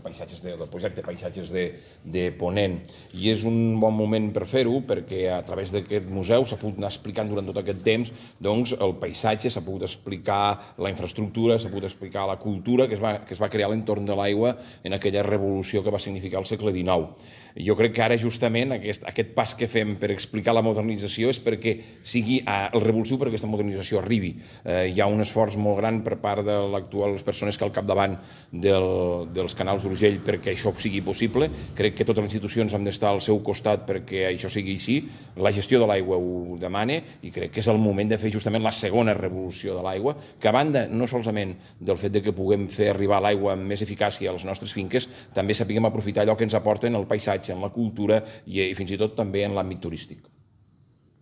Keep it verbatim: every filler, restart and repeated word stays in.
paisatges de, del projecte Paisatges de, de Ponent. I és un bon moment per fer-ho, perquè a través d'aquest museu s'ha pogut anar explicant durant tot aquest temps doncs, el paisatge, s'ha pogut explicar la infraestructura, s'ha pogut explicar la cultura que es va, que es va crear a l'entorn de l'aigua en aquella revolució que va significar el segle dinou. Jo crec que ara justament aquest, aquest pas que fem per explicar la modernització és perquè sigui el revulsiu perquè aquesta modernització arribi. Eh, hi ha un esforç molt gran per part de l'actual, les persones que al capdavant del, dels canals d'Urgell perquè això sigui possible. Crec que totes les institucions han d'estar al seu costat perquè això sigui així. La gestió de l'aigua ho demana i crec que és el moment de fer justament la segona revolució de l'aigua, que a banda no solament del fet de que puguem fer arribar l'aigua amb més eficàcia a les nostres finques, també sapiguem aprofitar allò que ens aporten el paisatge, en la cultura i, i fins i tot també en l'àmbit turístic.